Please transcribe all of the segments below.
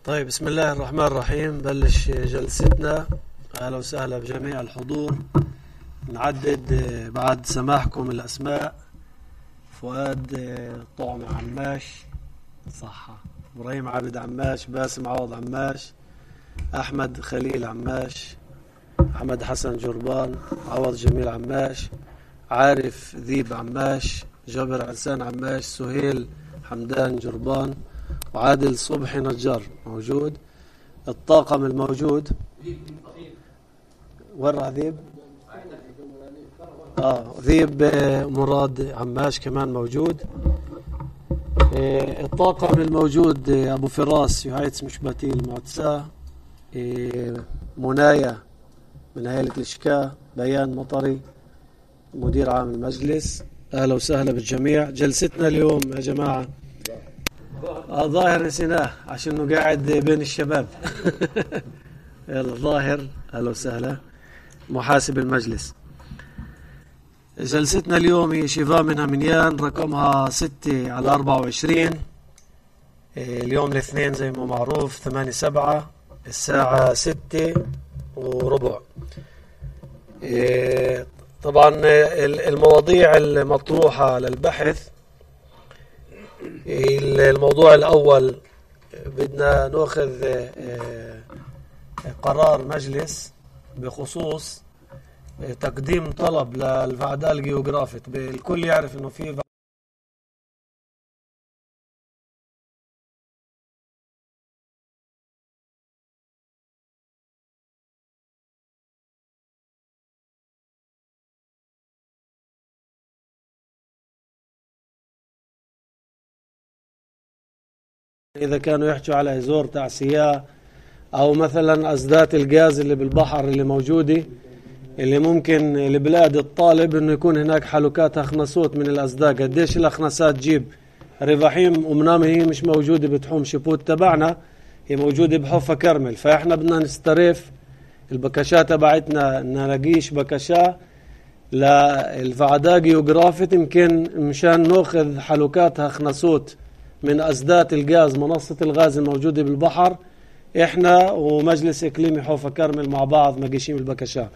طيب، بسم الله الرحمن الرحيم. بلش جلستنا. أهلا وسهلا بجميع الحضور. نعدد بعد سماحكم الأسماء: فؤاد طعم عماش، صحة، إبراهيم عابد عماش، باسم عوض عماش، أحمد خليل عماش، أحمد حسن جربان، عوض جميل عماش، عارف ذيب عماش، جابر عرسان عماش، سهيل حمدان جربان، وعادل صبحي نجار موجود. الطاقم الموجود وين ذيب؟ ذيب مراد عماش كمان موجود. الطاقم الموجود: أبو فراس يهايتس مشباتي المعتساه، منايا من هيئة الإشكاء، بيان مطري مدير عام المجلس. أهلا وسهلا بالجميع. جلستنا اليوم يا جماعة ظاهر نسيناه عشان قاعد بين الشباب. يلا ظاهر، أهلا وسهلا، محاسب المجلس. جلستنا اليوم هي شفاء منها منيان، رقمها 6/24. اليوم الاثنين زي ما معروف 8/7 الساعة 6:15. طبعا المواضيع المطروحة للبحث: الموضوع الأول بدنا نأخذ قرار مجلس بخصوص تقديم طلب للفعداء الجيوغرافيك. الكل يعرف انه في إذا كانوا يحكوا على إزور تعسية أو مثلا أسدات الغاز اللي بالبحر اللي موجودة، اللي ممكن لبلاد الطالب إنه يكون هناك حلقات أخنسوت من الأسداء. قديش الأخنسات تجيب رفاحيم ومنام هي مش موجودة بتحوم شبوت تبعنا، هي موجودة بحوفة كرمل. فإحنا بدنا نسترف البكشات تبعتنا، نلاقيش بكشة للفعداء جيوغرافيت يمكن مشان نأخذ حلقات أخنسوت من أسدات الغاز، منصة الغاز الموجودة بالبحر. إحنا ومجلس إقليمي حوفة كرمل مع بعض مقيشين البكشة.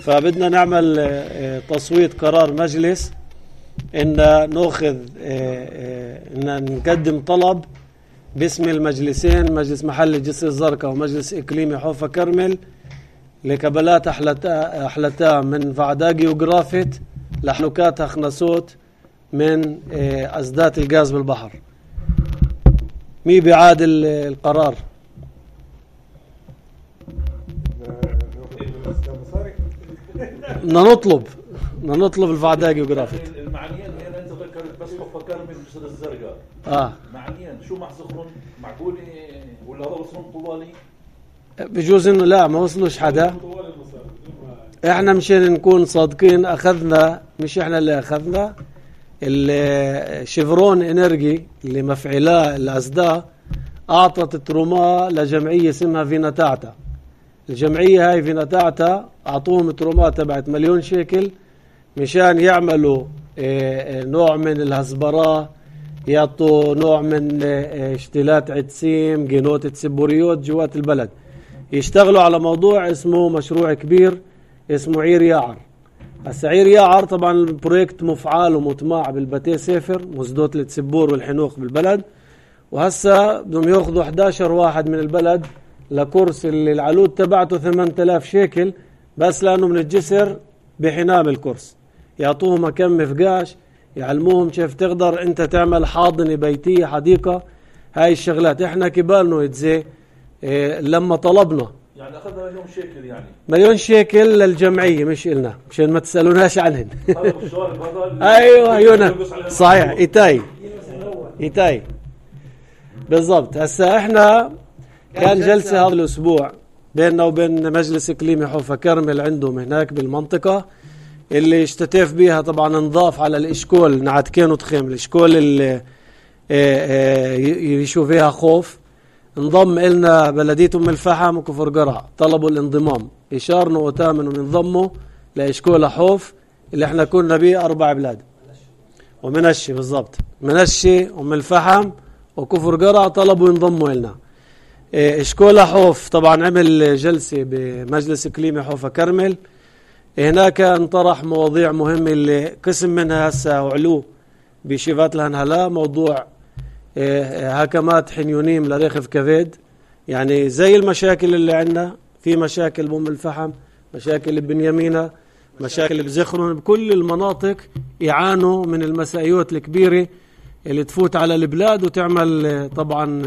فبدنا نعمل تصويت قرار مجلس إن نأخذ إن نقدم طلب باسم المجلسين، مجلس محلي جسر الزرقاء ومجلس إقليمي حوفة كرمل، لكبلات أحلتا من فعداء جيوغرافيت لحلقات أخنسوت من أسدات الغاز بالبحر. مي بيعادل القرار؟ بدنا نطلب الفعداء جيوغرافيك. المعنيين هنا انت ذكرت بس حوفة كرمل جسر الزرقاء. معنيين شو محزخرون؟ معقول ولا هذا وصلهم طوالي؟ بجوز انه لا، ما وصلوش حدا. احنا مشان نكون صادقين اخذنا، مش احنا اللي اخذنا، الشيفرون انرجي اللي مفعلاه الأسداء اعطت تروما لجمعية اسمها فيناتاعتا. الجمعية هاي فيناتاعتا اعطوهم ترومات تبعت 1,000,000 شيكل مشان يعملوا نوع من الهزبرة، يعطوا نوع من اشتلات عدسيم، جينوت سبوريوت جوات البلد. يشتغلوا على موضوع اسمه مشروع كبير اسمه عير ياعر. السعير ياعر طبعا البرويكت مفعال ومطمع بالبتي سافر مسدوت لتسبور والحنوخ بالبلد، وهسا بدهم ياخذوا 11 واحد من البلد لكورس اللي العلود تبعته 8,000 شيكل بس لانه من الجسر بحنام الكورس. يعطوهم كم فقاش، يعلموهم كيف تقدر انت تعمل حاضنة بيتية، حديقة. هاي الشغلات احنا كبالنا يتزي لما طلبنا يعني اخذنا 1,000,000 شيكل، يعني 1,000,000 شيكل للجمعية مش إلنا، مشان ما تسألوناش عنهن. ايوه صحيح، إيتاي بالضبط. هسا احنا كان جلسة هذا الاسبوع بيننا وبين مجلس اقليمي حوفة كرمل عندهم هناك بالمنطقة، اللي اشتتف بيها طبعا نضاف على الاشكول نعتكين وتخيم. الاشكول اللي يشوف فيها خوف انضم إلنا بلدية أم الفحم وكفر قرع، طلبوا الانضمام. إشارنا وتامنوا ينضموا لإشكول حوف اللي احنا كنا بيه 4 بلاد، ومنشي بالضبط، منشي أم الفحم وكفر قرع طلبوا ينضموا إلنا. اشكولا حوف طبعا عمل جلسة بمجلس إقليمي حوفا كرمل. هناك انطرح مواضيع مهمة اللي قسم منها هسه وعلو بشيفات الهنهلا، موضوع هكمات حنيونيم لريخف كفيد. يعني زي المشاكل اللي عندنا، في مشاكل بأم الفحم، مشاكل ببنيامينة، مشاكل بزخرون، بكل المناطق يعانوا من المسائيات الكبيرة اللي تفوت على البلاد وتعمل طبعا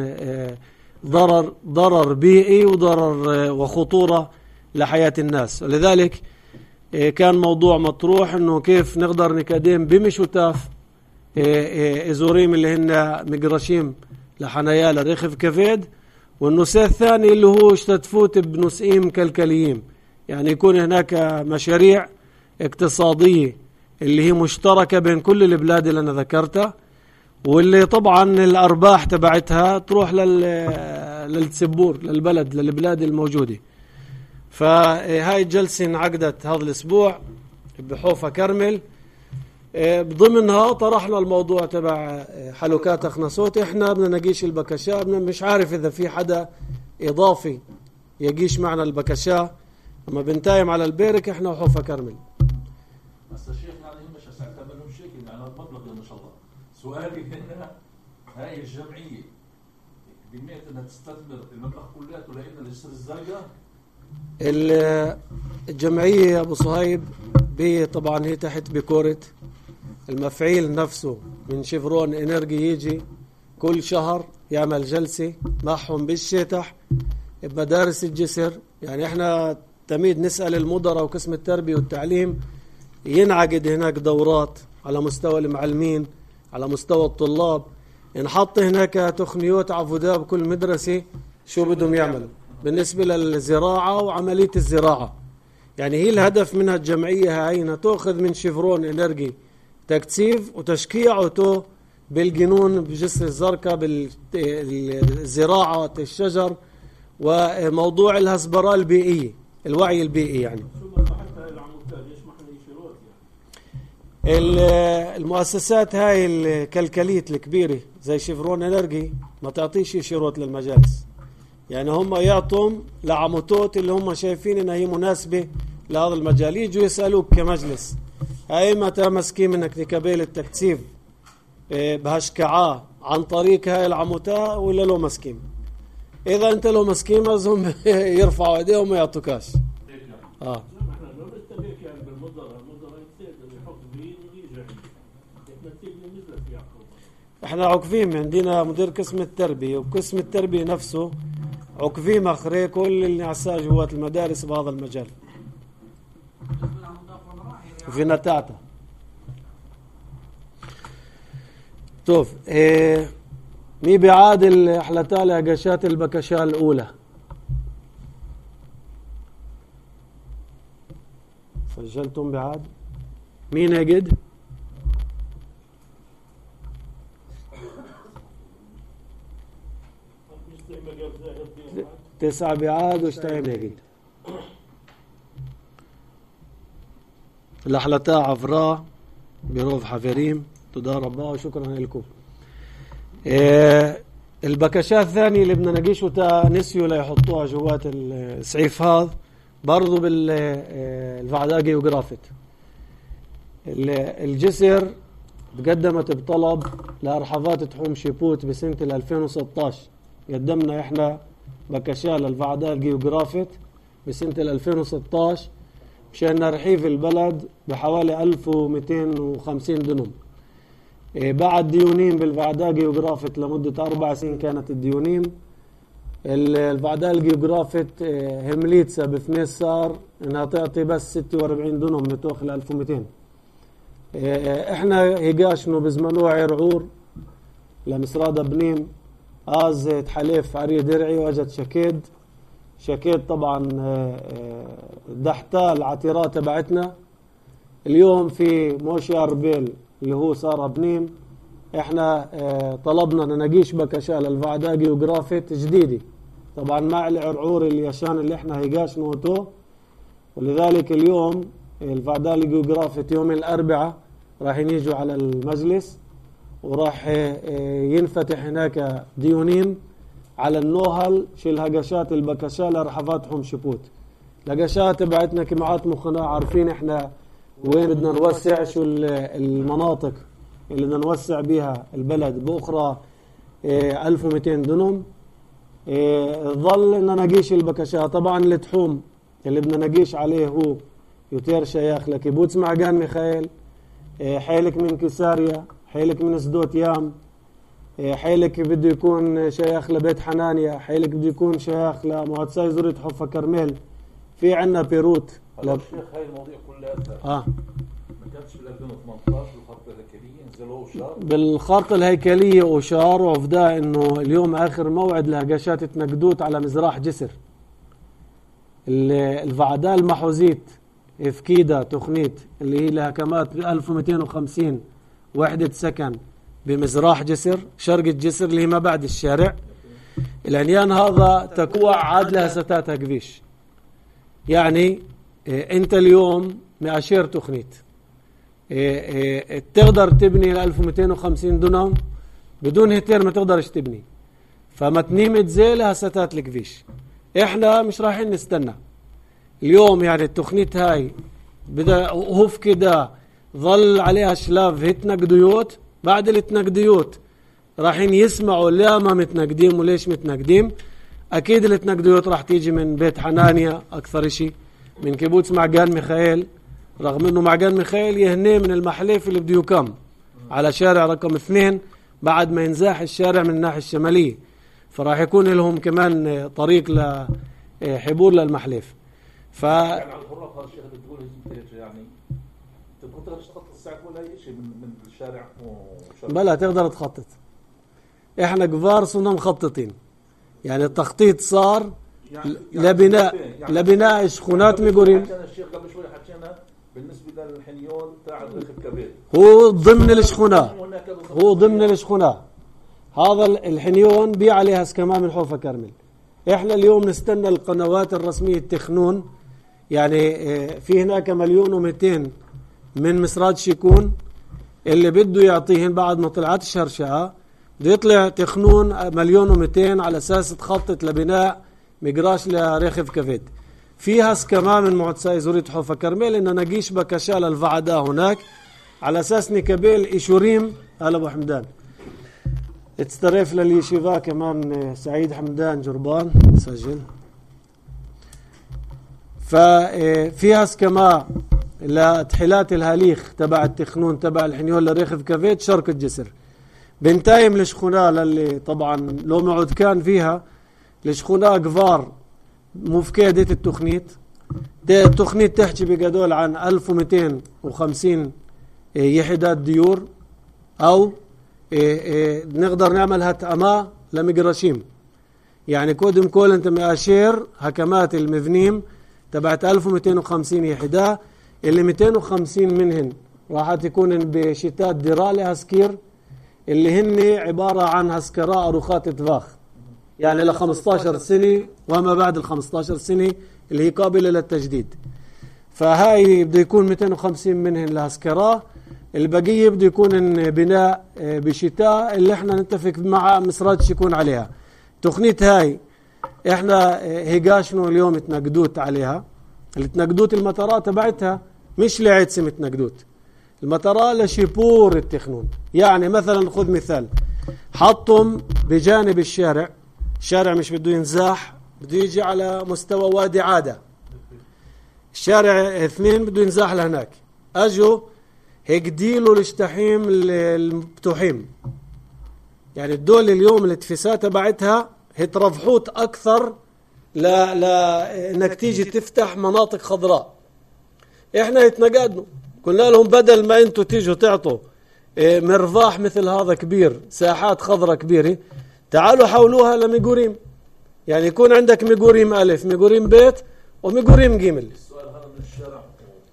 ضرر بيئي وضرر وخطورة لحياة الناس. ولذلك كان موضوع مطروح انه كيف نقدر نقدم بمشوتاف ازوريم اللي هن مقرشيم لحنايا لريخف كفيد، والنساء الثاني اللي هو تفوت بنسئيم كلكليين. يعني يكون هناك مشاريع اقتصادية اللي هي مشتركة بين كل البلاد اللي أنا ذكرتها، واللي طبعا الأرباح تبعتها تروح للتسبور للبلد للبلاد الموجودة. فهاي الجلسة انعقدت هذا الأسبوع بحوفا كرمل. بضمنها طرحنا الموضوع تبع حلوكات أخنصوت. احنا بدنا نقيش البكشاء، مش عارف إذا في حدا إضافي يقيش معنا البكشاء، اما بنتايم على البيرك احنا وحوفا كرمل. بس الشيخ يعني مش هسألتها منهم شيء يعني المبلغ ما شاء الله. سؤالي هنا، هاي الجمعية بنيت انها تستثمر المبلغ كلياته لأن الجسر الزرقاء؟ الجمعية يا ابو صهيب طبعا هي تحت بكورة المفعيل نفسه من شيفرون انرجي، يجي كل شهر يعمل جلسة معهم بالشتح بمدارس الجسر. يعني احنا تميد نسأل المدراء وقسم التربية والتعليم، ينعقد هناك دورات على مستوى المعلمين، على مستوى الطلاب، نحط هناك تقنيات عفودة بكل مدرسة شو بدهم يعملوا بالنسبة للزراعة وعملية الزراعة. يعني هي الهدف منها الجمعية هاي انها تأخذ من شيفرون انرجي تكثيف وتشكيعه بالجنون بجسر الزرقاء بالزراعة الشجر وموضوع الهسبرة البيئية، الوعي البيئي. يعني المؤسسات هاي الكلكليت الكبيرة زي شيفرون انرجي ما تعطيش شيروت للمجالس، يعني هم يعطوا لعموتات اللي هم شايفين انها هي مناسبة لهذا المجال، يجوا يسألوك كمجلس هاي متى مسكين منك لكبيل التكثيف بهشكعاء عن طريق هاي العموتة ولا لو مسكين. إذا أنت لو مسكين لازم يرفعوا إيديهم ويعطوكاش. احنا عقفين، عندنا مدير قسم التربية وقسم التربية نفسه عقفين مخري كل النعساء جوات المدارس بهذا المجال في نتاعته. طوف مي بعاد الحلتالة قشات البكشاء الأولى سجلتم بعاد مين يجد 9 بعاد واشتايم يجد الأحلتاء عفراء بروف حفريم تداربا وشكرا لكم. البكشاء الثاني اللي بدنا نقيشه نسيوا ليحطوها جوات السعيف هذا برضو بالفعداقي وجرافت. الجسر تقدمت بطلب لأرحفات تحوم شيبوت بسنة 2016. قدمنا احنا بكشاء للفعداقي وجرافت بسنة 2016 مشان نرحيف البلد بحوالي 1250 دنم. بعد ديونين بالفعداقي وجرافت لمدة 4 سنين كانت الديونين. الفعداقي وجرافت همليتسا بثميس صار انها تعطي بس 46 دنم متوخ ل 1200. احنا هيقاشنو بزمنو عرعور لمسرادة بنيم آز تحليف عري درعي واجت شكيد طبعا دحتا العتيرات تبعتنا. اليوم في موشي أربيل اللي هو صار بنيم احنا طلبنا ننقيش بكشاء للفعداقي وجرافت جديدة طبعا مع العرعور اليشان اللي احنا هيقاش نوتو. ولذلك اليوم الفعداقي وجرافت يوم الأربعاء راح يجوا على المجلس وراح ينفتح هناك ديونين على النوهل في الهقشات البكشالة رح فاتحهم شبوت. الهقشات بعتنا كمعات مخنا عارفين احنا وين بدنا نوسع، شو المناطق اللي بدنا نوسع بيها البلد بأخرى 1200 دنم. ظل ان نقيش البكشات. طبعا التحوم اللي بدنا نقيش عليه هو يوتير شيخ لكيبوتس معجان ميخائيل، حيلك من كساريا، حيلك من سدوت يام، حيلك بده يكون شيخ لبيت حنانيا، حيلك بده يكون شيخ لمعتصي زورة حفا كرميل. في عنا بيروت. الشيخ هاي المواضيع كلها ما كانتش بال 2018 بالخرطة الهيكلية نزلوا وشار؟ بالخرطة الهيكلية وشار، وفدا انه اليوم اخر موعد لهقشات تنقدوت على مزراح جسر. الفعداء المحوزيت افكيدا تخنيت اللي هي لها كمات 1250 وحدة سكن بمزراح جسر شرق الجسر اللي هي ما بعد الشارع. العنيان هذا تكوع عاد لها ستاتها قبيش. يعني انت اليوم مأشير تخنيت تقدر تبني ل 1250 دونم بدون هتير، ما تقدرش تبني. فمتنيمة زي لها ستات القبيش. احنا مش رايحين نستنى اليوم. يعني التخنيت هاي بدأ هوف كده ظل عليها شلاف هتنقديوت. بعد التنقديوت رايحين يسمعوا لا ما متنقدين وليش متنقدين. اكيد التنقديوت راح تيجي من بيت حنانيا اكثر شيء، من كيبوتس معجان ميخائيل، رغم انه معجان ميخائيل يهنيه من المحليف اللي بده يكم على شارع رقم 2 بعد ما ينزاح الشارع من الناحية الشمالية، فراح يكون لهم كمان طريق لحبور للمحليف. يعني على الحرة هذا الشيء بتقول يعني انت كنت تخطط الساعة ولا اي شيء من الشارع بلا تقدر تخطط. احنا كبار صرنا مخططين. يعني التخطيط صار لبناء شخونات ميغورين. الشيخ قبل شوي حكينا بالنسبة للحنيون تاع الرخب كبير هو ضمن الشخونة. هذا الحنيون بي عليها سكما من حوفة كرمل. احنا اليوم نستنى القنوات الرسمية التخنون. يعني في هناك 1,200,000 من مسرات شيكون اللي بده يعطيهن بعد ما طلعت الشرشعة بده يطلع تخنون 1,200,000 على اساس تخطط لبناء مقراش لريخف كفيد. فيها سكما من معتصي زورية حوفة كرميل ان نقيش بكشال الفعداء هناك على اساس نكبيل ايشوريم. هلا ابو حمدان اتسترف لليشيفا كمان سعيد حمدان جربان سجل. ففيها سكما لتحلات الهاليخ تبع التخنون تبع الحنيون لريخف كفيت شرق الجسر. بنتايم لشخونا للي طبعا لو معود كان فيها لشخونا قفار مفكادة التخنيت. التخنيت تحكي بقدول عن 1250 يحدات ديور، او نقدر نعمل هتأما لمقرشيم. يعني كودم كول انت مأشير هكمات المذنيم تبعت 1250 يحدا، اللي 250 منهن راح تكون بشتات درالي هسكير اللي هن عبارة عن هسكراء أروخات تفاخ، يعني ل 15 سنة وما بعد ال 15 سنة اللي هي قابلة للتجديد. فهاي بده يكون 250 منهن لهسكراء، البقية بده يكون بناء بشتاء اللي احنا نتفق مع مسرات يكون عليها. تخنيت هاي احنا هيقاشنو اليوم تنقدوت عليها. التنقدوت المطارات تبعتها مش لعدسم تنقدوت، المطارات لشيبور التخنون. يعني مثلا خذ مثال، حطهم بجانب الشارع مش بده ينزاح، بده يجي على مستوى وادي عادة، الشارع 2 بده ينزاح لهناك، اجوا هيك ديلوا الاشتحيم المفتوحين. يعني الدول اليوم الاتفاسات تبعتها هترفحوت اكثر انك تيجي تفتح مناطق خضراء. احنا يتنقدنا قلنا لهم بدل ما انتوا تيجوا تعطوا مرفاح مثل هذا كبير، ساحات خضراء كبيرة، تعالوا حولوها لميغوريم. يعني يكون عندك ميغوريم ألف، ميغوريم بيت، وميغوريم جيمل. السؤال هذا من الشارع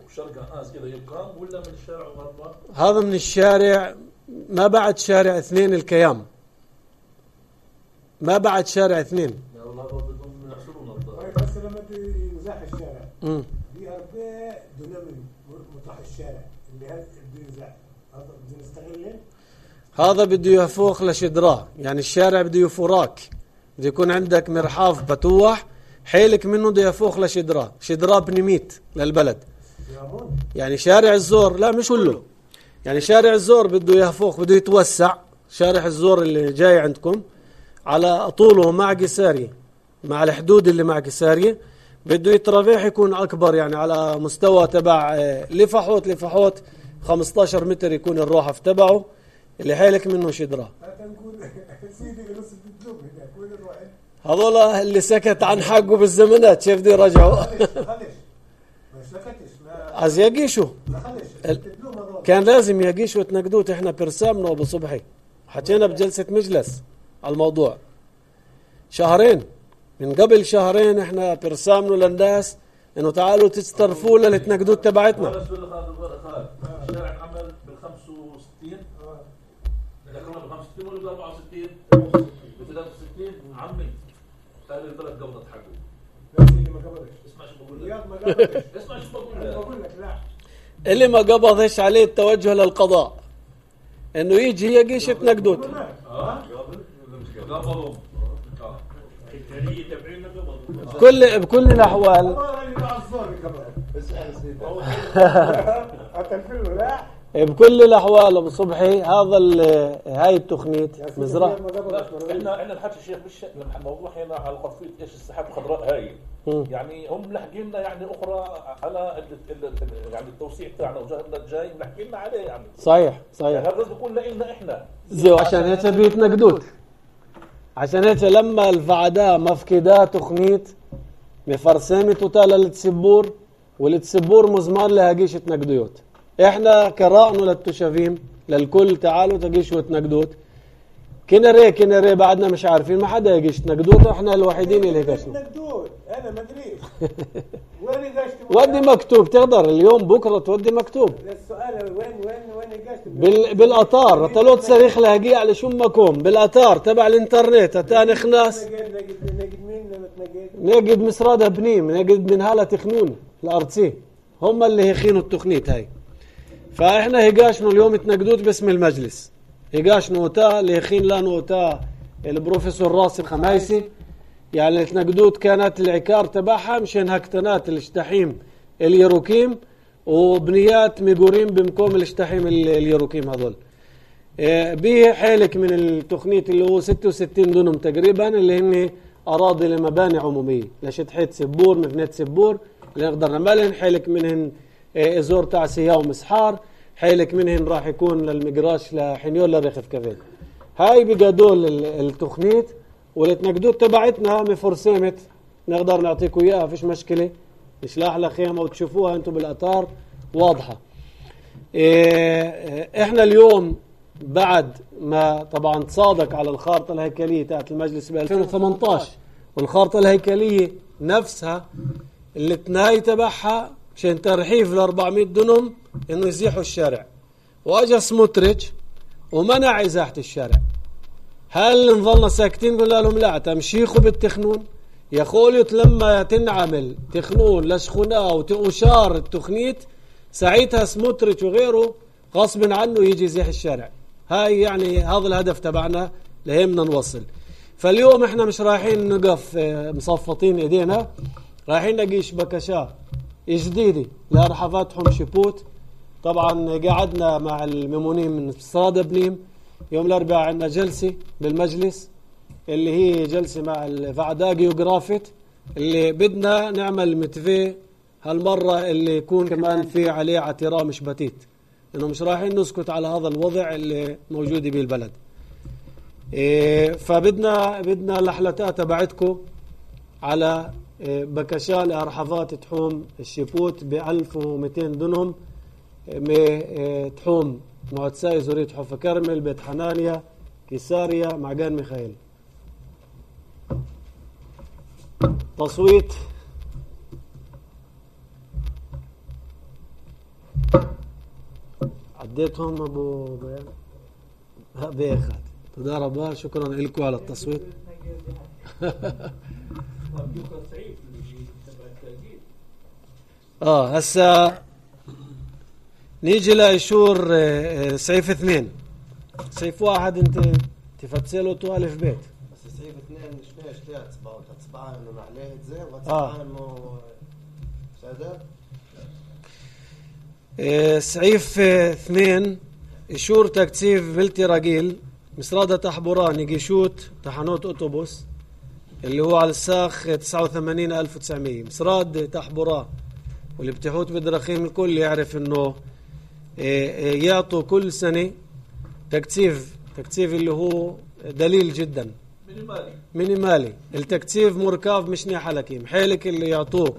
وشرق ناس كده يقام ولا من الشارع وغربا؟ هذا من الشارع ما بعد شارع 2 الكيام، ما بعد شارع 2. لا والله بدهم يحصلون الضرر. بس لما ينزاح الشارع في 4 دونم مطرح الشارع اللي هذا بده ينزاح، هذا بده نستغله. هذا بده يفوق لشدراه، يعني الشارع بده يفوراك بده يكون عندك مرحاض بتوح حيلك منه بده يفوخ لشدراه، شدراه بنميت للبلد. يعني شارع الزور لا مش كله، يعني شارع الزور بده يفوخ، بده يتوسع. شارع الزور اللي جاي عندكم على طوله مع قسارية، مع الحدود اللي مع قسارية بده يترافيح يكون أكبر، يعني على مستوى تبع لفحوت 15 متر يكون الروحف تبعه اللي حيلك منه شدراه. هذول اللي سكت عن حقه بالزمانات شايف دي رجعوا عايز يقيشوا، كان لازم يقيشوا وتنقدوت. احنا برسامنا وابو صبحي حكينا بجلسة مجلس على الموضوع شهرين، من قبل شهرين احنا برسامنا للناس انه تعالوا تسترفوا للتنقدوت تبعتنا. الشارع عمل بال65 بال65 ولا بال64 ب63 عمي قال البلد قبضت حقه. اللي ما قبضش اسمع شو بقول لك، ما قبضش اسمع شو بقول لك لا، اللي ما قبضش عليه التوجه للقضاء انه يجي يقيش تنقدوت. قبضوا بكل الاحوال بكل الاحوال ابو صبحي هاي التخنيت مزرعه. احنا الحكي الشيخ مش الموضوع هنا على قضيه ايش السحاب الخضراء هاي، يعني هم ملحقين لنا يعني اخرى على يعني التوسيع تاعنا وجهنا الجاي ملحقين لنا عليه يعني. صحيح يعني هذا لازم يكون لنا احنا زي عشان هيك بيتنقدوت، عشان هيك لما الفعداء مفقدا تخنيت مفرسامة توتالا للتسبور والتسبور مزمار لهاقيش تنقدوت. احنا قرأنا للتشافيم للكل تعالوا تقيشوا تنقدوت. كنا ري بعدنا مش عارفين، ما حدا يقيش تنقدوت، احنا الوحيدين اللي قاشنا. انا ما ادريش وين قاشت ودي مكتوب، تقدر اليوم بكره تودي مكتوب. السؤال وين قاشت بالاطار طلعت صريخ لاقي على شمكم بالاطار تبع الانترنت تاني خناس نجد مسرادة بنيم، نجد من هالة تخنون الارتسي هم اللي يخينوا التخنيت هاي. فاحنا هيقاشنوا اليوم تنقدوت باسم المجلس، هيقاشنوا وتا اللي يخين لانه وتا البروفيسور راسي الخمايسي، يعني التنقدوت كانت العكار تبعها مشان هكتنات الاشتحيم اليروكيم وبنيات ميقورين بمكوم الاشتحيم اليروكيم هذول. به حالك من التخنيت اللي هو 66 دونم تقريبا اللي هن أراضي لمباني عمومية لشتحيت سبور مبنيات سبور اللي نقدر نعملهن. حالك منهن ازور تعسية ومسحار، حالك منهن راح يكون للمقراش لحنيول لرخف كفين. هاي بقدول التخنيت والتنقدوت تبعتنا مفرسمت نقدر نعطيكم اياها فيش مشكلة، نشلاح لخيمة وتشوفوها انتم بالأطار واضحة. احنا اليوم بعد ما طبعا تصادق على الخارطة الهيكلية تاعت المجلس ب 2018 والخارطة الهيكلية نفسها اللي تناي تبعها مشان ترحيف ل 400 دنم انه يزيحوا الشارع، واجا سموتريتش ومنع ازاحة الشارع. هل نظلنا ساكتين؟ قلنا لهم لا تمشيخوا بالتخنون يا خوليت، لما تنعمل تخنون لشخناء وتقشار التخنيت ساعتها سموتريتش وغيره غصب عنه يجي يزيح الشارع. هاي يعني هذا الهدف تبعنا لهمنا نوصل. فاليوم احنا مش رايحين نقف مصفطين ايدينا، رايحين نقيش بكشا جديدة لرحفاتهم شبوت. طبعا قعدنا مع الممونين من صادة بنيم يوم الأربعاء عندنا جلسة بالمجلس اللي هي جلسة مع الفعداء جيوغرافيت اللي بدنا نعمل متفي هالمرة اللي يكون كمان في عليه اعتراء مش بتيت، انه مش رايحين نسكت على هذا الوضع اللي موجود بالبلد. فبدنا لحلتات تبعتكم على بكشا لأرحفات تحوم الشبوت ب 1200 دنهم تحوم معتساي زورية حوفة كرمل بيت حنانيا كيساريا معقان ميخائيل. تصويت عديتهم ابو بيان بيخات. تدار ربا شكرا لكم على التصويت. هسا نيجي لإشور سيف 2. سيف 1 انت تفتسله توالف بيت صعيب 2 شنو اشتاء تبعها انه معليه زين وتبعها انه سادة سعيف 2 إشور تكتيف ملتي راجيل مسرادة تحبوران يجيشوت تحنوت أوتوبوس اللي هو على الساخ 89,900 مسراد تحبوران واللي بتحوت بدرخيم الكل يعرف انه يعطوا كل سنة تكتيف اللي هو دليل جدا مينيمالي التكتيف مركب مش حلكيم حالك اللي يعطوه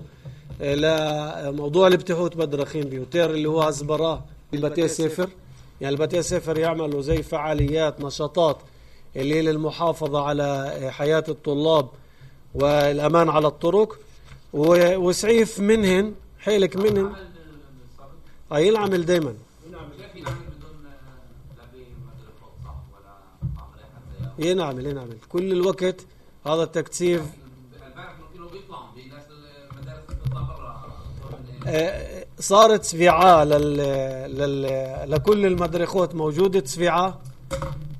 لموضوع اللي بتحوت بدرخيم بيوتير اللي هو هزبراه البتي سفر يعني البتي سفر يعملوا زي فعاليات نشاطات اللي هي للمحافظة على حياة الطلاب والأمان على الطرق وسعيف منهن حيلك منهن ينعمل دايما ينعمل كل الوقت هذا التكتيف صارت سفيعة لكل المدرخوت موجودة سفيعة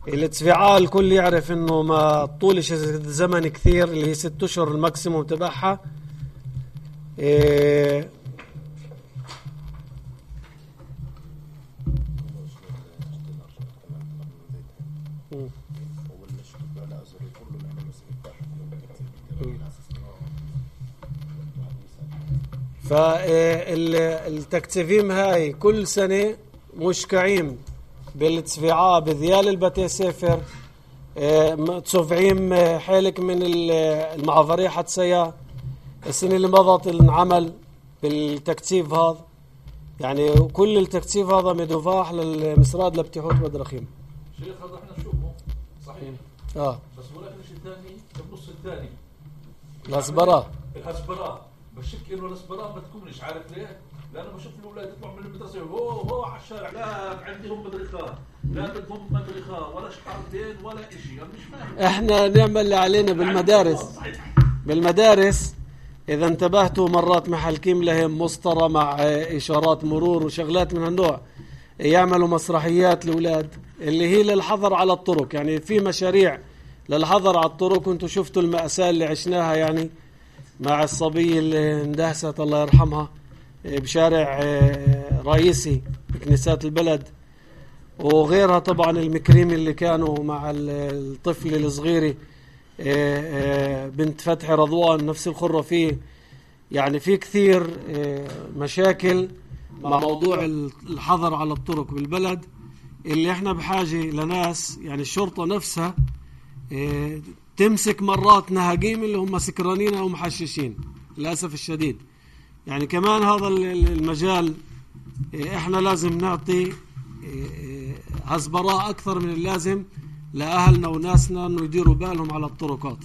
التسفيعة الكل يعرف انه ما طولش زمن كثير اللي هي 6 أشهر الماكسيموم تبعها فالتكتيفيم هاي كل سنة مشكعين بالتسفيعة بذيال البتي سفر تصفعيم حالك من المعافرية حتسيا السنة اللي مضت انعمل بالتكتيف هذا يعني كل التكتيف هذا مدفاح للمسراد لبتحوت بدرخيم شيخ هذا احنا نشوفه صحيح بس ولكن الشيء الثاني النص الثاني الهسبراه بشك انه الهسبراه ما تكونش عارف ليه لأنه بشوف الأولاد يطلعوا من المدرسة هو على الشارع لا عندهم مدرخة لا بدهم مدرخة ولا شحرتين ولا إشي أنا مش فاهم إحنا نعمل اللي علينا بالمدارس إذا انتبهتوا مرات محلكين لهم مسطرة مع إشارات مرور وشغلات من هالنوع يعملوا مسرحيات لأولاد اللي هي للحظر على الطرق يعني في مشاريع للحظر على الطرق وانتوا شفتوا المأساة اللي عشناها يعني مع الصبية اللي اندهست الله يرحمها بشارع رئيسي بكنيسات البلد وغيرها طبعا المكريم اللي كانوا مع الطفل الصغيري بنت فتحي رضوان نفس الخرة فيه يعني في كثير مشاكل مع موضوع الحظر على الطرق بالبلد اللي احنا بحاجة لناس يعني الشرطة نفسها تمسك مرات نهاجيم اللي هم سكرانين او محششين للأسف الشديد يعني كمان هذا المجال احنا لازم نعطي هزبراء اكثر من اللازم لأهلنا وناسنا انه يديروا بالهم على الطرقات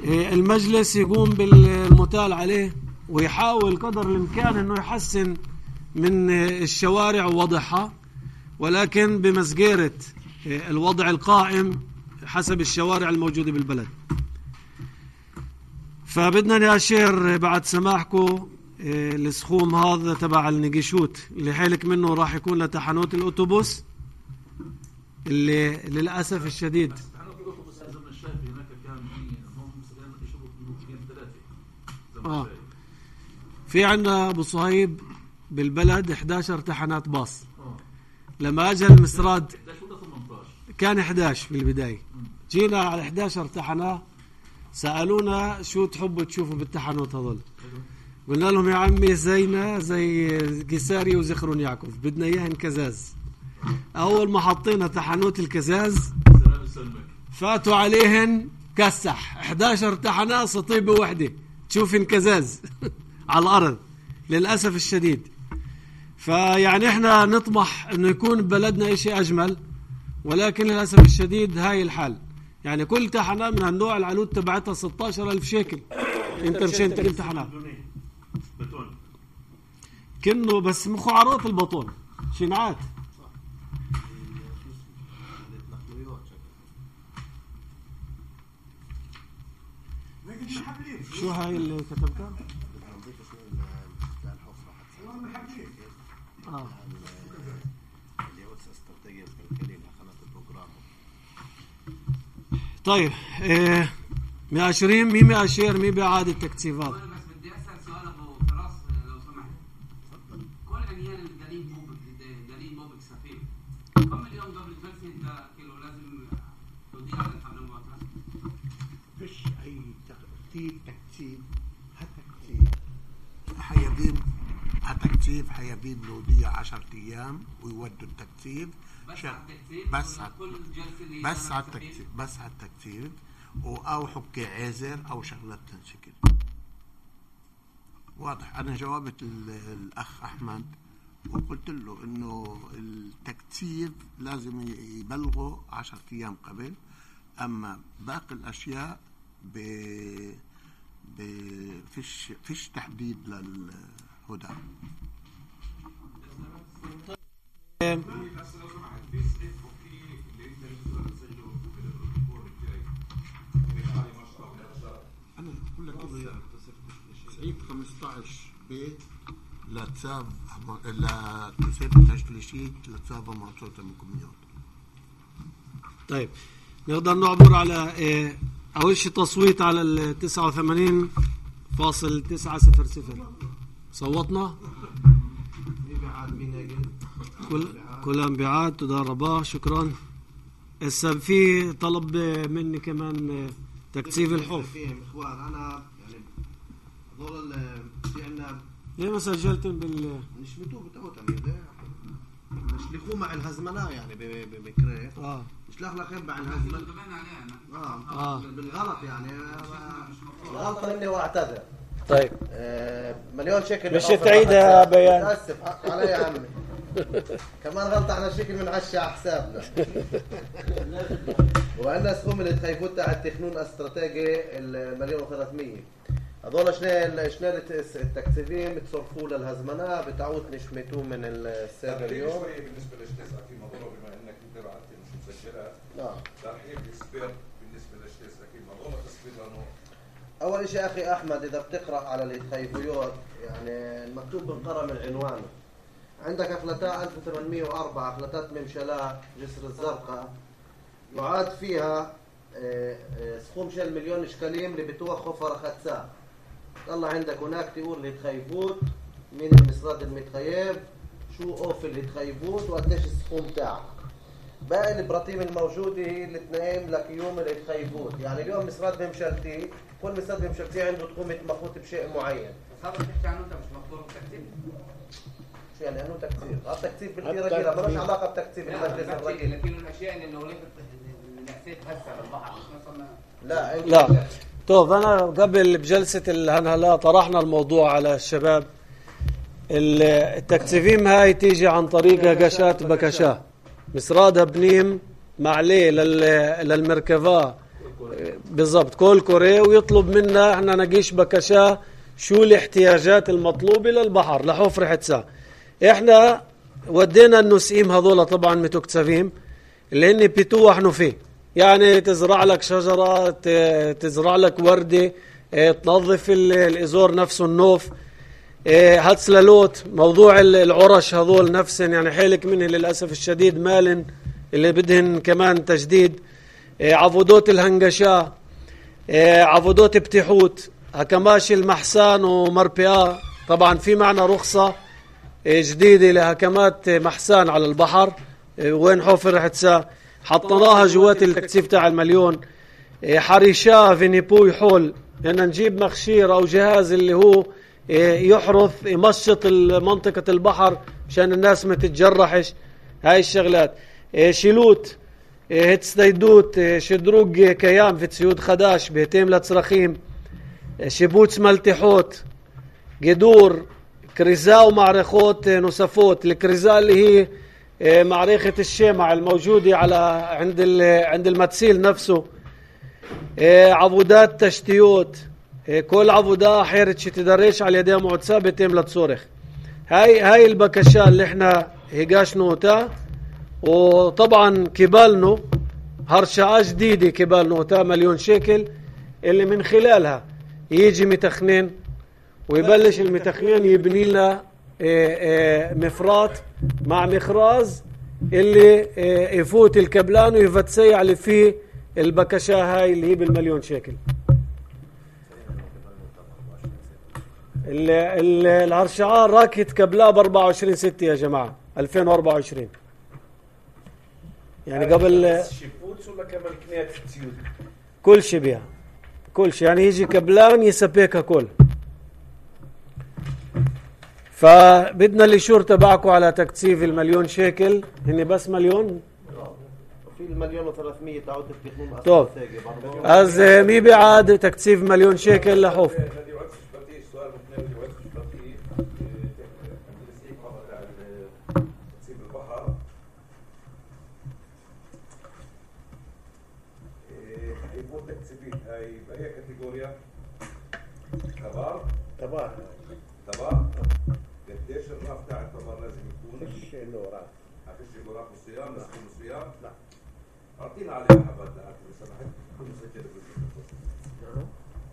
المجلس يقوم بالمتال عليه ويحاول قدر الامكان انه يحسن من الشوارع ووضعها ولكن بمسجرة الوضع القائم حسب الشوارع الموجودة بالبلد فبدنا نأشير بعد سماحكم السخوم هذا تبع النجيشوت اللي حالك منه راح يكون لتحنوت الأوتوبوس اللي للأسف الشديد في عنا أبو صهيب بالبلد 11 تحنات باص لما أجى المسراد كان 11 بالبداية جينا على 11 تحناه سألونا شو تحبوا تشوفوا بالتحنوت هذول قلنا لهم يا عمي زينا زي قيساري وزخرون يعقوب بدنا إياهن كزاز أول ما حطينا تحنوت الكزاز فاتوا عليهن كسح 11 تحناه سطيبة وحدة تشوفن كزاز على الأرض للأسف الشديد فيعني احنا نطمح انه يكون ببلدنا اشي اجمل ولكن للأسف الشديد هاي الحال يعني كل تحنة من هالنوع العلود تبعتها 16,000 شيكل انت مشان كل تحنة كنه بس مخو عروض البطون شنعات شو هاي اللي كتبتها طيب ماشرين مين ماشر مين بإعادة تكثيفات؟ بس بدي اسال سؤال ابو فراس لو سمحت. كل عميان الدليل موبك سفير كم اليوم قبل الجلسه انت كيلو لازم توديع على الحمل المعترف؟ فيش اي تكثيف حيبين نودية 10 ايام ويودوا التكثيف بس على التكثيف او حكي عازر او شغلات تنشكل. واضح. انا جاوبت الاخ احمد وقلت له انه التكثيف لازم يبلغوا 10 ايام قبل، اما باقي الاشياء فيش تحديد للهدى. أنا أقول لك صعيب 15 ب لتساف تشليشيت لتساف معطوطة المكميات. طيب نقدر نعبر على أول شيء تصويت على 89.900. صوتنا كلهم بعاد. تدربا شكرا. هسه في طلب مني كمان تكثيف الحوف. فيهم اخوان انا يعني هذول في عندنا ليه ما سجلتم نشمتوه بتوتم نشلخوه مع الهزمنة يعني بمكريه نشلخ لك مع الهزمنة بالغلط يعني غلطة مني واعتذر. طيب مليون شكل مش تعيدها بيان. اسف حق علي يا عمي كمان غلطة على شكل من عشا على حسابنا. وعندنا سهم اللي تخيفوت تاع التخنون استراتيجي 1,300,000 هذول شنو التكثيفين بتصرفوا للهزمنة بتعود نشمتوه من السابق اليوم. بالنسبة للشتاس أكيد موضوع بما إنك أنت بعت مش مسجلات. ترحيب السبير بالنسبة للشتاس أكيد موضوع تصفير لأنه أول شيء أخي أحمد إذا بتقرأ على التخيفيات يعني المكتوب بالقرى من عنوانه عندك أفلتاء 1804 أفلتات ممشلاء جسر الزرقاء يعاد فيها سخوم شل 1,000,000 إشكاليم اللي بتوخف فرختساء. طلع عندك هناك تقول اللي تخيفوت مين المسراد المتخيف شو أوف اللي تخيفوت وقديش السخوم تاعك. باقي البراطيم الموجودة هي اللي تنايم لك يوم اللي تخيفوت. يعني اليوم مسراد ممشلتي كل مسراد ممشلتي عنده تقوم مخوط بشيء معين. بس هذا بتحكي عنه انت مش مقدور بالتكثيف. شو يعني انه تكثيف؟ التكثيف بالكيرة ما لهش علاقة بتكثيف المجلس الرئيسي. لكن الاشياء اللي وليت نحسيت هسه بالبحر مش مثلا لا. طيب أنا قبل بجلسة الهنهلا طرحنا الموضوع على الشباب. التكثيفين هاي تيجي عن طريق قشات بكشاه مسرادها بنيم معليه للمركبة بالضبط كل كوري ويطلب منا احنا نقيش بكشاه شو الاحتياجات المطلوبة للبحر لحفر حتسا. احنا ودينا النسيم هذولا طبعا متكثفين اللي هن بيتوحنوا فيه يعني تزرع لك شجرة تزرع لك وردة تنظف الإزور نفسه النوف هتسلالوت موضوع العرش هذول نفسهم يعني حيلك منه للأسف الشديد مالن اللي بدهن كمان تجديد عفودوت الهنجشاه عفودوت بتحوت هكماش المحسان ومربئة. طبعا في معنا رخصة جديدة لهكمات محسان على البحر وين حفر حتسا حطناها جوات التكثيف تاع 1,000,000. حريشاه فينيبوي حول لأن نجيب مخشير أو جهاز اللي هو يحرث يمشط منطقة البحر مشان الناس ما تتجرحش. هاي الشغلات شيلوت هتستيدوت شدروق كيام في تسيود خداش بهتيم لتصرخيم شبوت ملتحوت قدور كريزا ومعرخوت نصفوت. الكريزا اللي هي معرخة الشمع الموجودة على عند المتسيل نفسه. عبودات تشتيوت كل عبودة حيرت تدريش على يديها معدسة بتم لتصورخ. هاي البكشة اللي احنا هيقاش نوتا وطبعا كبالنو هرشاة جديدة كبال نوتا 1,000,000 شيكل اللي من خلالها يجي متخنين ويبلش المتخنين يبني لنا مفرات مع مخراز اللي يفوت الكبلان ويفتسيع اللي فيه البكشة هاي اللي هي بالمليون شيكل. الهرشعار راكت قبلها ب24/6 يا جماعة 2024. يعني قبل شيبوتس ولا كمان كنيات سيود؟ كل شيء بيها، كل شيء يعني يجي قبلان يسبيكها كل. فبدنا الإشور تبعكم على تكثيف المليون شيكل. هني بس مليون في ال1,300,000 تعود تفتحون طب از مي بعد تكثيف مليون شيكل لحوف. تبار قديش الراف تاع التبار لازم يكون؟ فيش له راس. فيش له راس بالصيام؟ لازم يكون صيام؟ لا. اعطينا عليها حبات دعم لو سمحت تكون مسجله بالبروتوكول.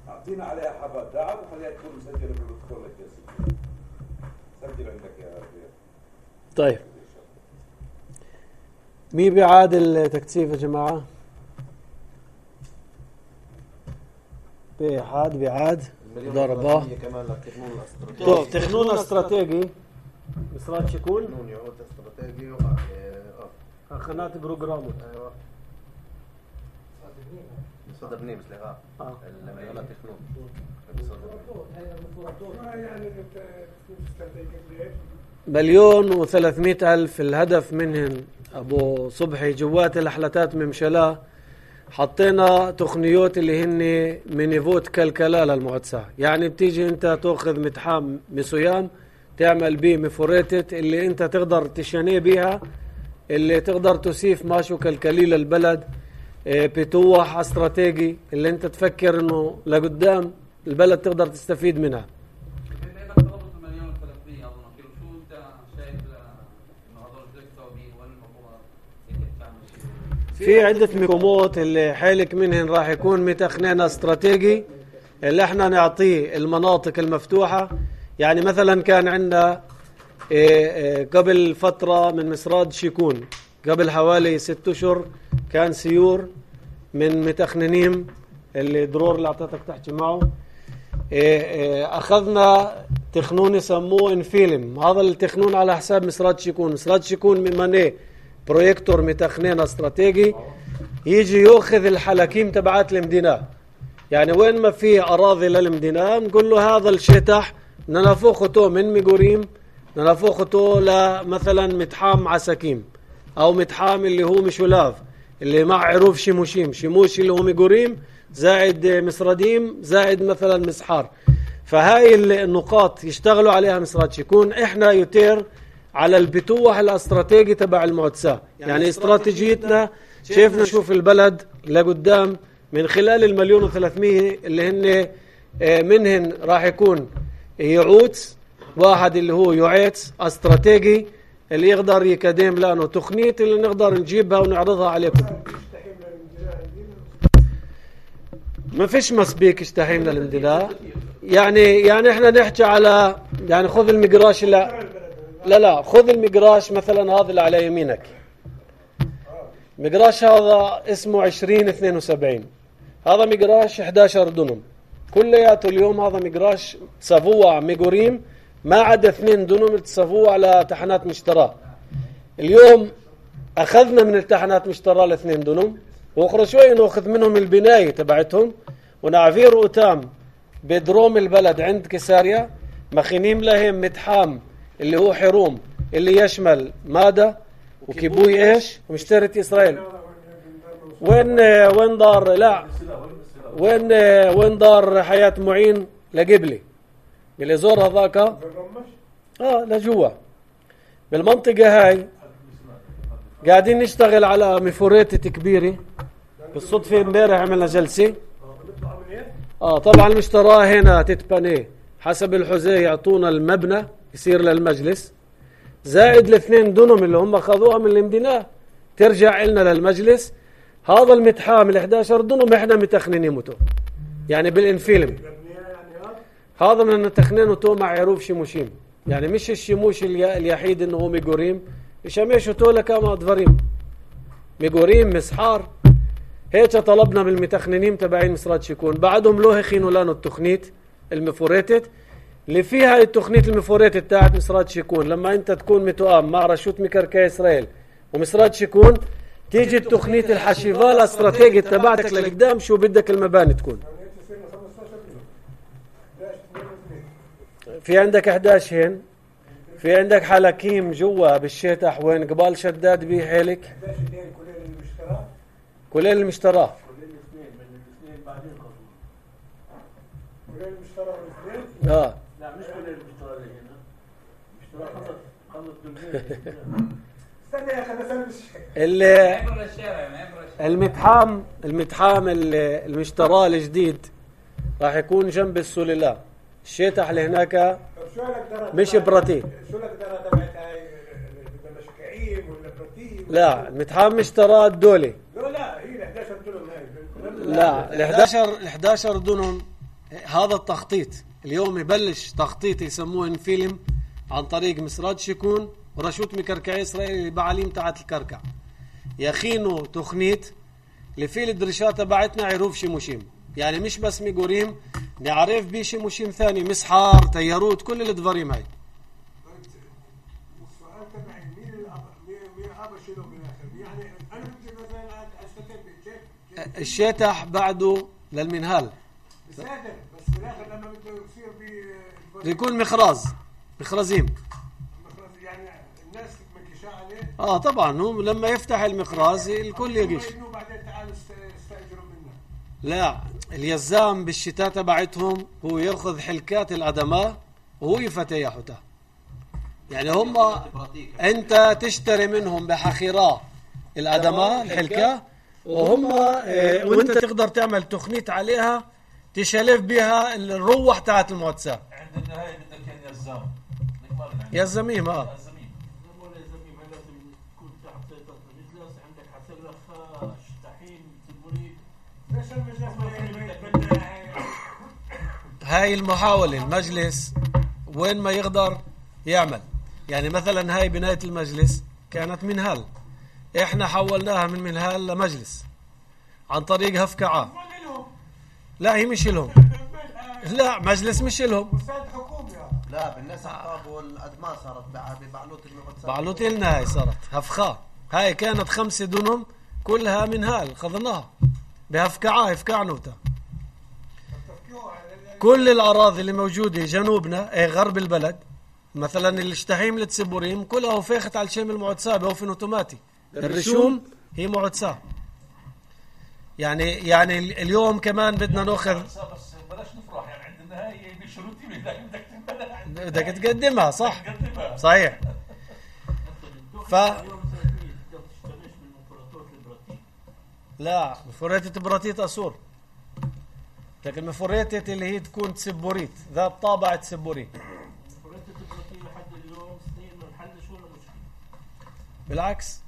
اعطينا عليها حبات دعم وخليها تكون مسجله بالبروتوكول الجسدي. سجل عندك يا ربيع. طيب مي بيعاد التكثيف يا جماعة؟ بيعاد ضربة. طب تخنون استراتيجي مصرات شكون؟ تخنون يعود استراتيجي خنات بروجرامو. ايوه صدر بنيمس لها المليونات تخنون يعني $1,300,000 الهدف منهن ابو صبحي جوات الحلتات ممشلا. حطينا تقنيات اللي هن منيفوت كالكلا للمعدسة. يعني بتيجي انت تاخذ متحام مسويام تعمل بيه مفوريتت اللي انت تقدر تشانيه بيها، اللي تقدر تسيف ماشو كالكلي للبلد. بتوح استراتيجي اللي انت تفكر انه لقدام البلد تقدر تستفيد منها. في عدة مقومات اللي حالك منهن راح يكون متخنين استراتيجي اللي احنا نعطيه المناطق المفتوحة. يعني مثلا كان عندنا قبل فترة من مصراد شيكون قبل حوالي 6 أشهر كان سيور من متخننين اللي درور اللي اعطيتك تحكي معه. اخذنا تخنون يسموه انفيلم. هذا التخنون على حساب مصراد شيكون. مصراد شيكون ممانيه برويكتور متخنين استراتيجي يجي يأخذ الحلاكيم تبعات المدينة. يعني وين ما في أراضي للمدينة نقول له هذا الشتح ننفخته من ميغوريم ننفخته لمثلا متحام عساكيم أو متحام اللي هو مشولاف اللي مع عروف شيموشيم شيموش اللي هو ميغوريم زائد مصرديم زائد مثلا مسحار. فهاي النقاط يشتغلوا عليها مصرات شيكون. احنا يتير على البتوح الاستراتيجي تبع المعدسة. يعني استراتيجيتنا شايفنا نشوف البلد لقدام من خلال 1,300,000 اللي هن منهن راح يكون يعوت واحد اللي هو يعيت استراتيجي اللي يقدر يقدم لانه تقنية اللي نقدر نجيبها ونعرضها عليكم. ما فيش مسبيك اشتحيمنا للمدلاء. يعني احنا نحكي على يعني خذ المقراش لا خذ المقراش مثلا هذا اللي على يمينك. مقراش هذا اسمه 2072. هذا مقراش 11 دنم كلياته. اليوم هذا مقراش تسافوع ميغوريم ما عدا 2 دنم تسافوع على تحنات مشتراه. اليوم اخذنا من التحنات مشتراه ل2 دنم واخرى شوي ناخذ منهم البناية تبعتهم ونعفير قتام بدروم البلد عند كساريا مخينين لهم متحام اللي هو حروم اللي يشمل مادة وكيبوي ايش ومشترة اسرائيل. وين دار لا وين دار حياة معين لقبلي بالازور هذاك لجوا بالمنطقة هاي. قاعدين نشتغل على مفوريتة كبيرة. بالصدفة امبارح عملنا جلسة. طبعا المشتراه هنا تتبني حسب الحزيه يعطونا المبنى يصير للمجلس زائد ال2 دنم اللي هم اخذوها من المدينة ترجع لنا للمجلس. هذا المتحام ال11 دنم احنا متخنينه يعني بالانفيلم. هذا من متخنينه مع عروف شيموشيم. يعني مش الشيموش اليحيد انه هو ميغوريم يشمشوا تولا كما دفريم ميغوريم مسحار. هيك طلبنا بالمتخننين تبعين مصرات شكون، بعدهم لوهخين ولانو التخنيت المفوريتت اللي فيها التخنيت المفوريتت تاعت مصرات شكون. لما انت تكون متوام مع رشوة مكركي اسرائيل ومصرات شكون، تيجي التخنيت الحشيفة الاستراتيجي تبعتك لقدام شو بدك المباني تكون. في عندك 11 هن، في عندك حلاكيم جوا بالشتح وين قبال شداد بيه حيلك كلين المشتراه لا مش كلين المشتراه اللي المتحام المشتراه الجديد راح يكون جنب السللاء. الشتح اللي هناك مش براتي. شو لك درا تبعت هاي مشكعين ولا براتي؟ لا المتحام مشتراه الدولي. لا هي ال 11 دونم هاي. لا ال 11 دونم هذا التخطيط اليوم يبلش تخطيط يسموه انفيلم عن طريق مصرات شكون ورشوة مكركعي اسرائيل البعاليم تاعت الكركع يخينوا تخنيت لفيل الدرشات تبعتنا عروف شموشيم. يعني مش بس ميقوريم، نعرف بيه شموشيم ثاني مسحار تياروت كل الدفاريم هاي. السؤال تبعي مين الأب شنو بالآخر؟ يعني أنا بدي مثلا أستفيد الشتح بعده للمنهال. بس بالآخر لما بده يصير بيكون مخرزيم. يعني الناس مكشاء عليه. طبعا هم لما يفتح المخراز الكل يجيش. بعدين تعالوا استأجروا منه. لا اليزام بالشتاء تبعتهم هو يرخذ حلكات الأدماء وهو يفتيحها. يعني هم انت تشتري منهم بحخيرة الأدماء الحلكة وهم وانت تقدر تعمل تخنيت عليها تشلف بها الروح تاعت الموتسة. عند النهاية بدك يزام يزميم يزميم لازم تكون تحت سيطرة المجلس. عندك حسب لك شتحين تبوريد. هاي المحاولة المجلس وين ما يقدر يعمل. يعني مثلا هاي بناية المجلس كانت منهال، احنا حولناها من منهال لمجلس عن طريق هفكعة. لا هي مش لهم. لا مجلس مش لهم. لا بالناس الطاب والأدماء صارت ببعلوت المقدسات. بعلوت لنا هاي صارت هفخاء. هاي كانت 5 دونم كلها منهال خذناها بهفكعة هفكعنوتا. كل الأراضي اللي موجودة جنوبنا غرب البلد مثلا الاشتحيم لتسبوريم كلها وفاخت على الشام المعتساب هو اوتوماتي. الرشوم هي معتساب. يعني اليوم كمان بدنا ناخذ بس بلاش نفرح. يعني عند النهاية بشروطي بدك تقدمها صح صحيح. لا مفوريتة براتيت أسور، لكن مفوريتة اللي هي تكون تسبوريت ذات طابع تسبوري. مفوريتة براتيت لحد اليوم سنين ما نحلش ولا مشكلة. بالعكس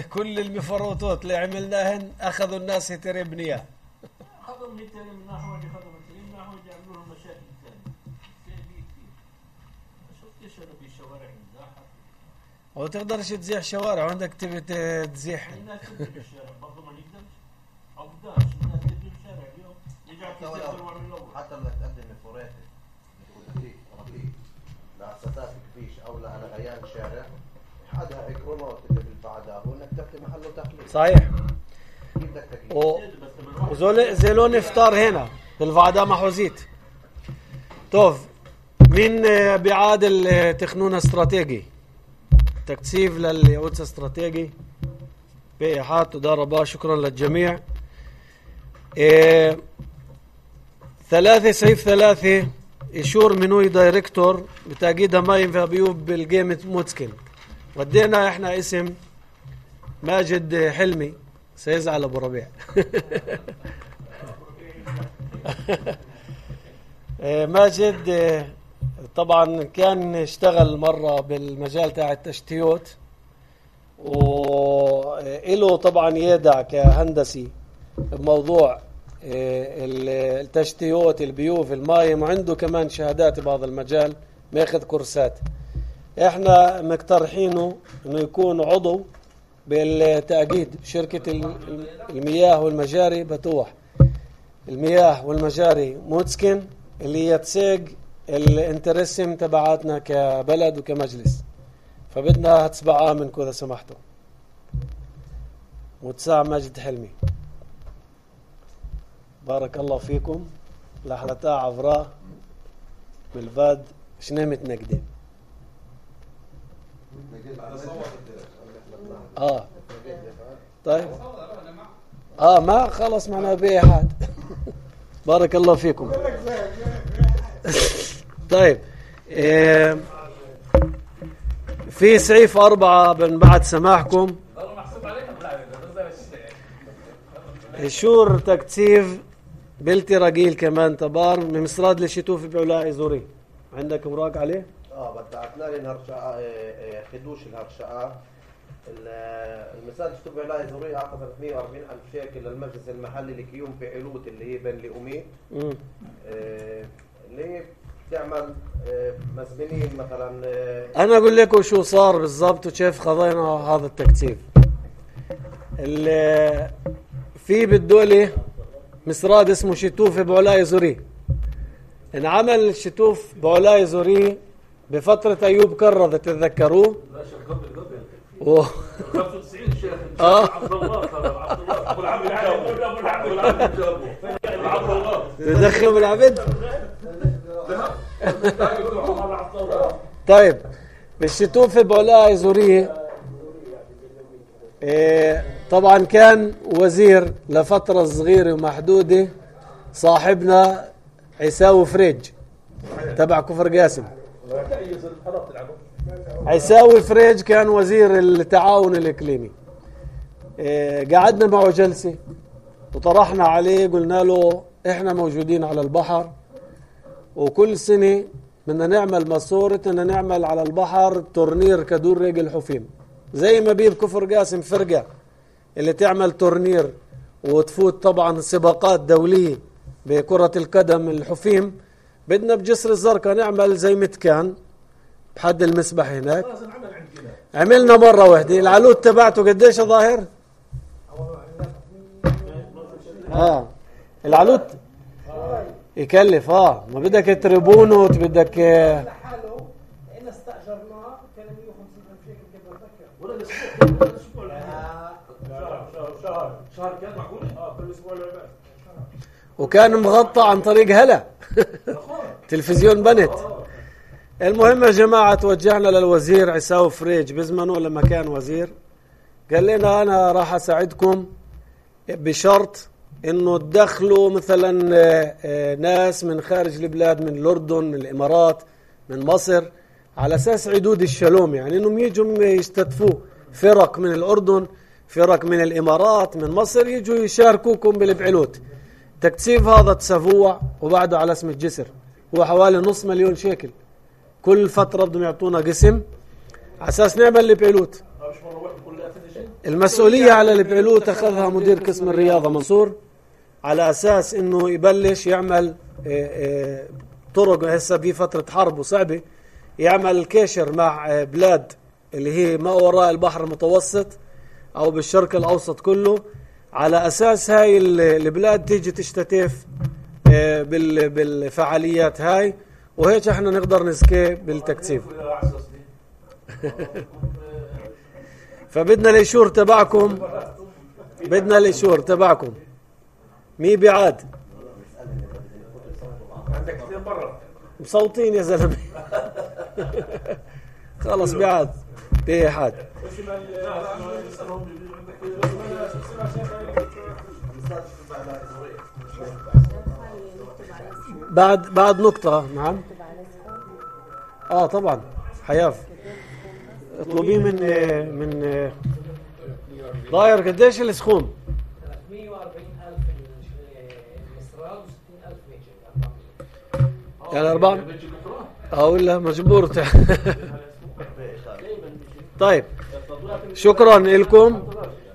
كل المفروضات اللي عملناهن أخذوا الناس يتربنيها. أخذوا ميتين من نحو اللي أخذوا ميتين من نحو يعملوا لهم مشاكل ثانية. كثير. ما شفتش أنا بالشوارع مزاحة. أو تقدرش تزيح شوارع وعندك تبي تزيح. الناس تبني بالشارع برضو ما نقدرش. أو بداش الناس تبني بالشارع اليوم. حتى لو تقدم مفوريتة ربيع لعساتات كبيش أو لغيان شارع حدها إكرامات اللي بالبعدها هو إنك تفتح محله تخليل. صحيح. بدك تكليف. وزولون افطار هنا بالفعدة محوزيت. طوف مين بيعادل تخنون استراتيجي تكثيف لليعود استراتيجي بيحات ودار شكرا للجميع. 3 سيف 3 يشور منوي دايركتور بتأكيد مايم في بيوب بالجيم موتسكن. ودينا احنا اسم ماجد حلمي سيزعل ابو ربيع. ماجد طبعا كان اشتغل مرة بالمجال تاع التشتيات وإله طبعا يدع كهندسي بموضوع التشتيات البيوف المايم وعنده كمان شهادات بهذا المجال ماخذ كورسات. احنا مقترحينه انه يكون عضو بالتأكيد شركة المياه والمجاري بتوح، المياه والمجاري موتسكن اللي هي تساق الانترسم تبعاتنا كبلد وكمجلس، فبدنا تسبعها منكم إذا سمحتوا. متساع مجد حلمي، بارك الله فيكم. لحلتا عفراء بالباد شنامت نقدة. طيب ما خلص معنا بيه حد. بارك الله فيكم. طيب في سعيف 4 من بعد سماحكم شور تكتيف بلتي رجيل كمان تبار من مصراد للشتوف بعلاء زوري. عندك اوراق عليه؟ بدعتنا لي الهرشقة خدوش الهرشقة المساعد شتوف بعلاء زوري أعطى 340,000 شيكل للمجلس المحلي لكيوم في علوت اللي هي بين لأمي اللي بتعمل مسبنين مثلا. أنا أقول لكم شو صار بالضبط وكيف خضينا هذا التكتيف. في بالدولة مصراد اسمه شتوف بعلاء زوري، انعمل شتوف بعلاء زوري بفترة أيوب كرة تتذكروه؟ لا شيخ قبل 95 شيخ عبد الله ابو العبد تدخل بالعبد. طيب بالشتوف بعلاء زوري طبعا كان وزير لفترة صغيرة ومحدودة صاحبنا عيساوي فريج تبع كفر قاسم. عيساوي فريج كان وزير التعاون الإقليمي. قعدنا معه جلسة وطرحنا عليه، قلنا له احنا موجودين على البحر وكل سنة بدنا نعمل ماسورة، بدنا نعمل على البحر تورنير كدور رجل حفيم زي ما بيد كفر قاسم فرقة اللي تعمل تورنير وتفوت طبعا سباقات دولية بكرة القدم الحفيم. بدنا بجسر الزرقاء نعمل زي متكان بحد المسبح هناك. عملنا مرة واحدة. العلود تبعته قديش ظاهر؟ العلود يكلف ما بدك تربونه بدك استأجرناه كان 150,000 شيكل كده شهر كان معقول كل اسبوع العباد وكان مغطى عن طريق هلا تلفزيون بنت. المهم يا جماعة توجهنا للوزير عيساوي فريج بزمنه لما كان وزير، قال لنا أنا راح أساعدكم بشرط إنه تدخلوا مثلا ناس من خارج البلاد، من الأردن، من الإمارات، من مصر، على أساس عدود الشلوم، يعني إنهم يجوا يستضيفوا فرق من الأردن، فرق من الإمارات، من مصر، يجوا يشاركوكم بالبعلوت. تكثيف هذا تسفوع وبعده على اسم الجسر هو حوالي 500,000 شيكل. كل فترة بدهم يعطونا قسم على أساس نعمل البعلوت. المسؤولية على البعلوت أخذها مدير قسم الرياضة منصور على أساس إنه يبلش يعمل طرق. هسه بفترة حرب وصعبة، يعمل الكيشر مع بلاد اللي هي ما وراء البحر المتوسط أو بالشرق الأوسط كله، على أساس هاي البلاد تيجي تشتتف بالفعاليات هاي، وهيك احنا نقدر نسكي بالتكثيف. فبدنا الإشور تبعكم، بدنا الإشور تبعكم. مي بعاد عندك كثير برا مصوتين يا زلمة. خلص بعاد بيه حد. بعد نقطة. نعم طبعا حياف اطلبيه من ضاير. قديش السخون؟ 140,000 المصراد و60,000 ميجر يعني 4 ولا مجبور طيب شكرا لكم.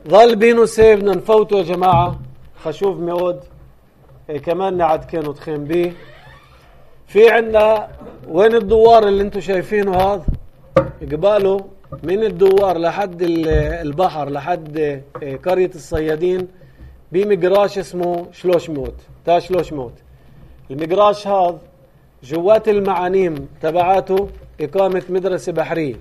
ظل بينو سيبنا نفوتوا يا جماعة. خشوف ميود كمان نعد كانوا تخيم بيه. في عنا وين الدوار اللي انتو شايفينه هذا قباله من الدوار لحد البحر لحد قرية الصيادين بمجراش اسمه شلوشموت. المجراش هذا جوات المعانيم تبعاته إقامة مدرسة بحرية.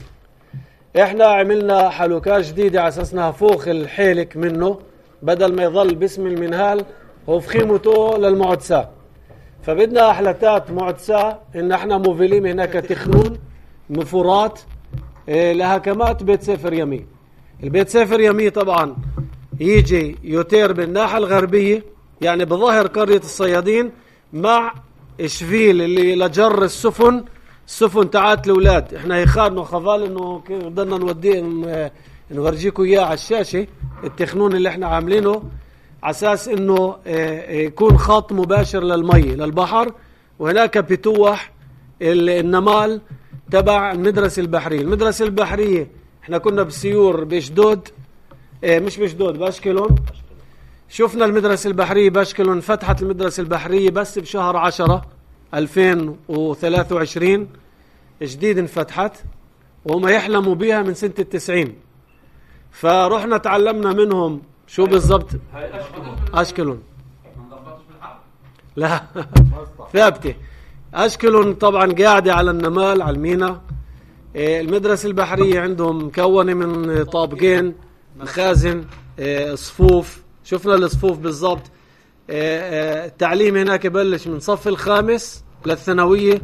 إحنا عملنا حلوكات جديدة على أساسنا فوق الحيلك منه، بدل ما يظل باسم المنهال هو فخيمته للمعدسة. فبدنا أحلتات معدسة إن إحنا موفيلين هناك تخنون مفورات لهكمات بيت سافر يمي. البيت سافر يمي طبعا يجي يوتير بالناحية الغربية، يعني بظهر قرية الصيادين مع شفيل اللي لجر السفن تاعت الأولاد. احنا يخارنوا خفال انه بدنا نوديه نورجيكم اياه على الشاشة التخنون اللي احنا عاملينه على اساس انه يكون خط مباشر للمي للبحر، وهناك بتوح النمال تبع المدرسة البحرية. المدرسة البحرية احنا كنا بسيور باشدود، مش باشدود، باشكلون. شفنا المدرسة البحرية باشكلون. فتحت المدرسة البحرية بس بشهر 10 2023 جديد انفتحت، وهم يحلموا بيها من سنة 90. فرحنا تعلمنا منهم شو بالضبط. أشكلون لا ثابتة. أشكلون طبعا قاعدة على النمال على المينا. المدرسة البحرية عندهم مكونة من طابقين، مخازن، صفوف. شفنا الصفوف بالضبط. التعليم هناك بلش من صف الخامس للثانوية.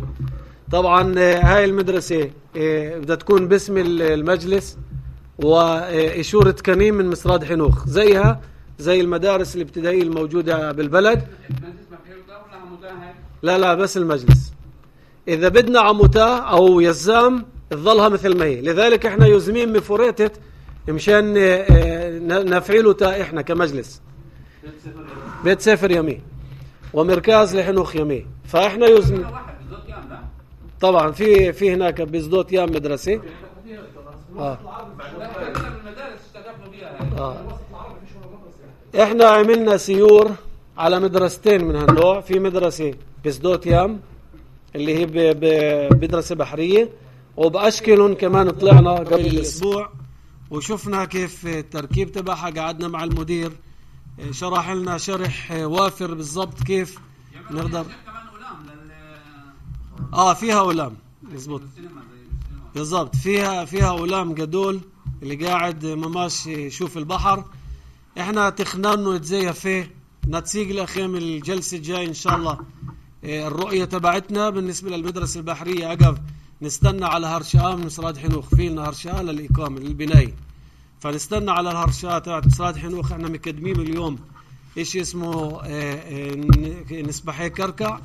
طبعا هاي المدرسة بدها تكون باسم المجلس وإشورة كنيم من مصراد حنوخ، زيها زي المدارس الابتدائية الموجودة بالبلد. لا بس المجلس. إذا بدنا عموتاه أو يزام تظلها مثل ما هي. لذلك احنا يزمين مفوريتت مشان نفعله تا احنا كمجلس بيت سافر يمي ومركز لحنوخ يمي. فاحنا يزمين طبعا في هناك بزدوت يام مدرسة. احنا عملنا سيور على مدرستين من هالنوع. في مدرسة بزدوت يام اللي هي مدرسة بحرية، وبأشكلهم كمان طلعنا قبل الأسبوع وشفنا كيف التركيب تبعها. قعدنا مع المدير شرح لنا شرح وافر بالضبط كيف نقدر. فيها أولام مزبوط بالضبط. فيها أولام قدول اللي قاعد مماش يشوف البحر. احنا تخنانه نتزيف فيه نتسيق لأخيم الجلسة الجاي إن شاء الله. الرؤية تبعتنا بالنسبة للمدرسة البحرية أقف نستنى على هرشاء من مصراد حنوخ. فينا هرشاء للإقامة للبناية، فنستنى على الهرشاء تبعت مصراد حنوخ. احنا مقدمين اليوم إيش اسمه نسبحي كركع.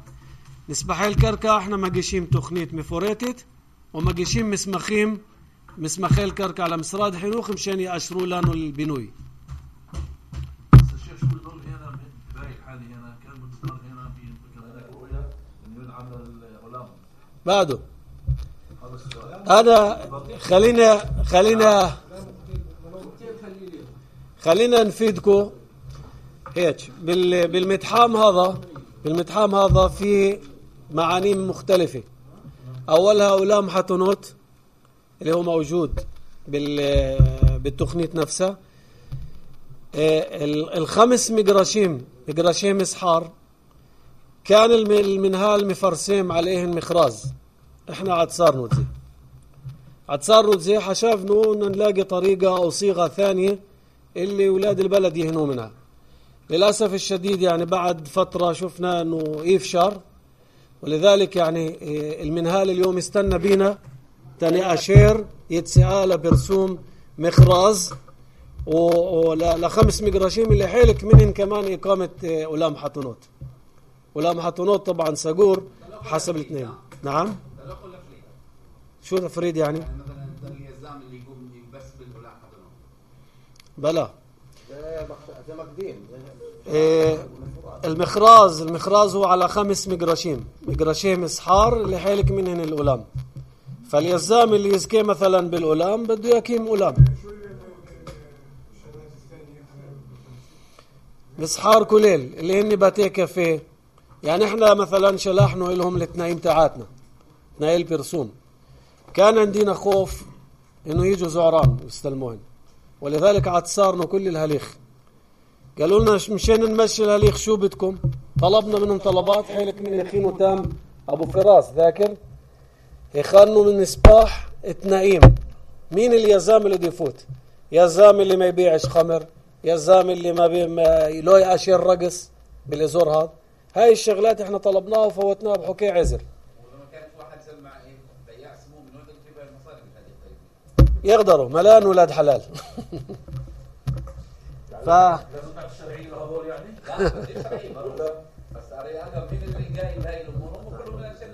نسبحي الكركع احنا مقيشين تخنيت مفوريتت ومقيشين مسمخي الكركع على مصراد حنوخ مشان يأشروا لانه البنوي. بعده هذا خلينا نفيدكم هيك بالمتحام هذا في معانيم مختلفة. أولها أولام حتنوت اللي هو موجود بالتخنيت نفسها. الخمس مقراشيم إسحار كان المنهال مفرسيم عليهن مخراز. احنا عدسار نوتزي حشافنو نلاقي طريقة أو صيغة ثانية اللي ولاد البلد يهنوا منها. للأسف الشديد يعني بعد فترة شفنا أنه يفشر، ولذلك يعني المنهال اليوم استنى بينا تاني أشير يتسأل برسوم مخراز ولخمس مقراشيم اللي حيلك منهم كمان إقامة أولام حتنوت. أولام حتنوت طبعا ساقور حسب الاثنين. نعم شو تفريد يعني اليزام اللي يقوم بس بالأولام حتنوت بلا زي مقديم. المخراز هو على 5 مقراشيم إسحار اللي حيلك منهن الأولام. فاليزام اللي يزكي مثلا بالأولام بده يقيم أولام. إسحار كليل اللي هن باتي كافيه. يعني احنا مثلا شلاحنا لهم الاثنين تاعاتنا 2 برسوم. كان عندنا خوف إنه يجوا زعران يستلموهن، ولذلك عتصارنا كل الهليخ. قالوا لنا مشان نمشي الهليخ شو بدكم؟ طلبنا منهم طلبات. حيلك من يخين وتام أبو فراس ذاكر يخانوا من سباح التنايم. مين اليزام اللي يفوت؟ يزام اللي ما يبيعش خمر، يزام اللي ما لو يأشير رقص بالأزور هذا. هاي الشغلات احنا طلبناها وفوتناها بحكي عزر. ولما كانت واحد سمع بياع سموه من وين تجيب المصاري بهذه يقدروا ملان ولاد حلال. لازم تعرف الشرعية لهذول يعني؟ لا مش شرعي برضه، بس أنا مين اللي جاي بهاي الأمور هم كلهم من الشرعي.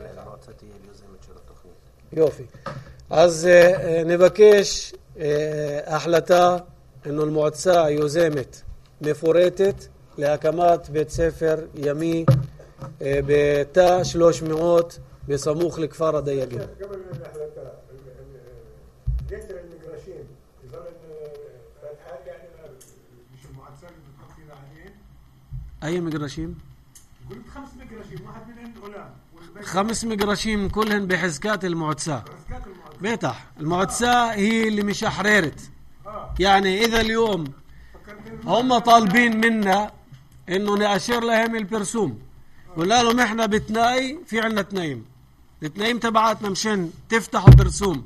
يوفي از نبكيش أحلتا إنه المعتساء يوزمت مفورتت لأكمات بيت سفر يمي بتا 300 بسموخ لكفار دياجين. قبل الأحلتا جسر المجراشين يظل الحال يعني مش المعتساء اللي بتحط فينا عليه. أي مجراشين؟ قلت 5 مجراشين، واحد منهم غلام. 5 مجراشين كلهن بحزكات المعتساء. بيتح المعتساء هي اللي مش حريرت. يعني إذا اليوم هم طالبين منا إنه نأشر لهم البرسوم، قلنا لهم إحنا بتناي في عنا تنايم، التنايم تبعاتنا مشان تفتحوا برسوم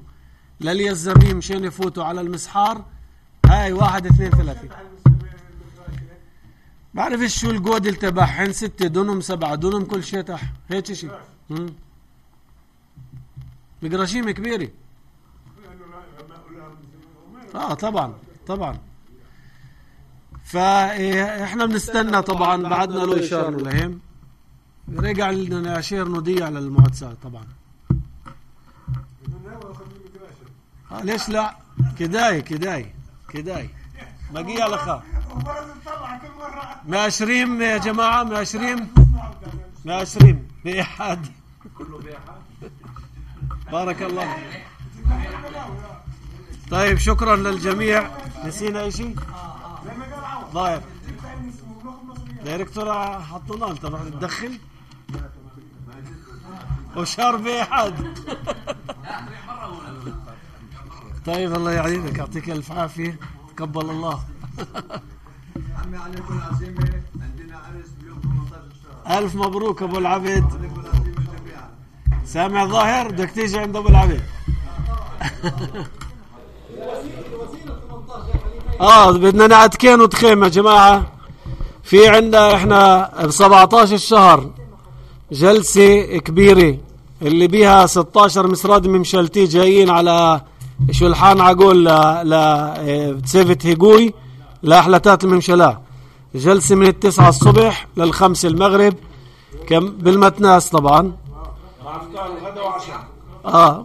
لليزامين مشان يفوتوا على المسحار. هاي 1 2 3 بعرفش شو الجودل تبعهن 6 دونم 7 دونم كل شيء تح هيك شيء. مقراشيم كبيرة. طبعا فاحنا بنستنى طبعا بعدنا له إشارة لهم رجع لنا أشير نضيع للمعتساء طبعا. ليش لا كداي بقي على خا ماشرين يا جماعة ماشرين بإحاد كله بيحة. بارك الله. طيب شكرا للجميع. نسينا اي شيء ظاهر دايركتور حطونا انت رح تدخل وشار بإحاد. طيب الله يعينك يعطيك الف عافيه تقبل الله. عمي عليكم العزيمه عندنا عرس بيوم 18 الشهر. الف مبروك ابو العبد. سامع ظاهر بدك تيجي عند ابو العبد. بدنا نعتكين وتخيم يا جماعه. في عندنا احنا ب 17 الشهر جلسه كبيره اللي بيها 16 مسراد ممشلتي جايين على شلحان عقول لسيفت هيجوي لأحلتات الممشلة. جلسة من 9 الصبح لل5 المغرب بالمتناس طبعا.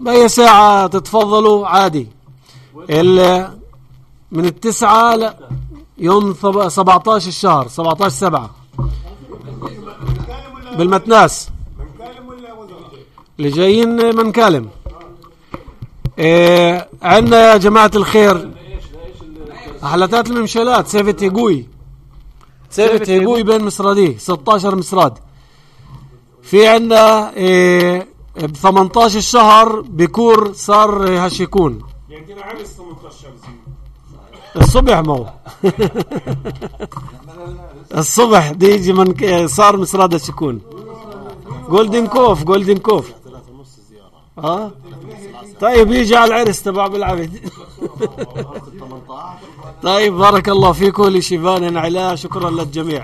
بأي ساعة تتفضلوا عادي. من 9 يوم 17 الشهر 17/7 بالمتناس. اللي جايين منكالم. عندنا يا جماعة الخير أحلتات الممشلات سيفت هيجوي بين مصرادي 16 مصراد. في عندنا ب 18 الشهر بكور صار هشيكون يعني عرس 18 الصبح مو الصبح دي يجي من صار مصراد هشيكون جولدن كوف. طيب يجي على العرس تبع بالعبد. طيب بارك الله فيكم لشيفان علا. شكرا للجميع.